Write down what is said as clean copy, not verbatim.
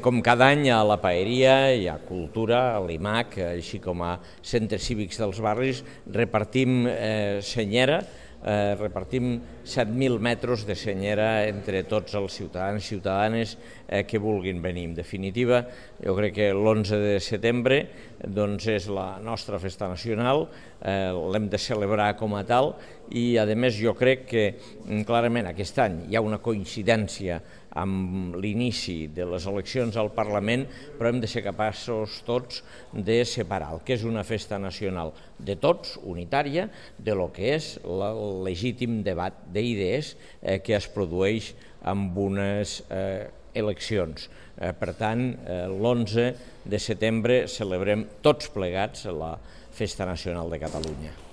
Com cada any a la Paeria hi ha cultura, a l'IMAC, així com a centres cívics dels barris, repartim senyera, repartim 7.000 metres de senyera entre tots els ciutadans i ciutadanes que vulguin venir. En definitiva, jo crec que l'11 de setembre és la nostra festa nacional, l'hem de celebrar com a tal i, a més, jo crec que clarament aquest any hi ha una coincidència amb l'inici de les eleccions al Parlament, però hem de ser capaços tots de separar el que és una festa nacional de tots, unitària, de lo que és el legítim debat d'idees que es produeix amb unes eleccions. Per tant, l'11 de setembre celebrem tots plegats la Festa Nacional de Catalunya.